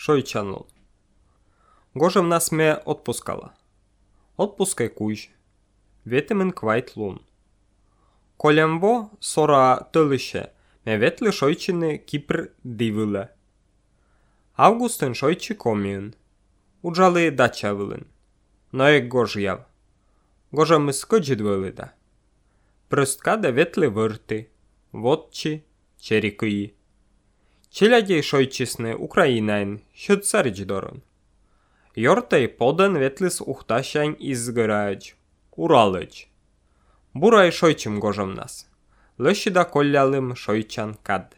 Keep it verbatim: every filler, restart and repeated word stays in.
шойчанлон. Гожем нас ме отпускала. Отпускай куж. Ветемен квайт лун. Колембо сора тылыше ме ветле шойчины Кипр дивылы. Августын шойчы комиын. Уджалы дача вылын. Но эк гож яв. Гожа мы скоджид вылыда. Прысткада ветле вырты. Водчи, черикыи. Челядей шойчисны Украинайн, щот царич дорон. Йортай подан ветлис ухтащань изгырач. Уралыч. Бурай шойчым гожам нас. Лыщида коллялым шойчан кад.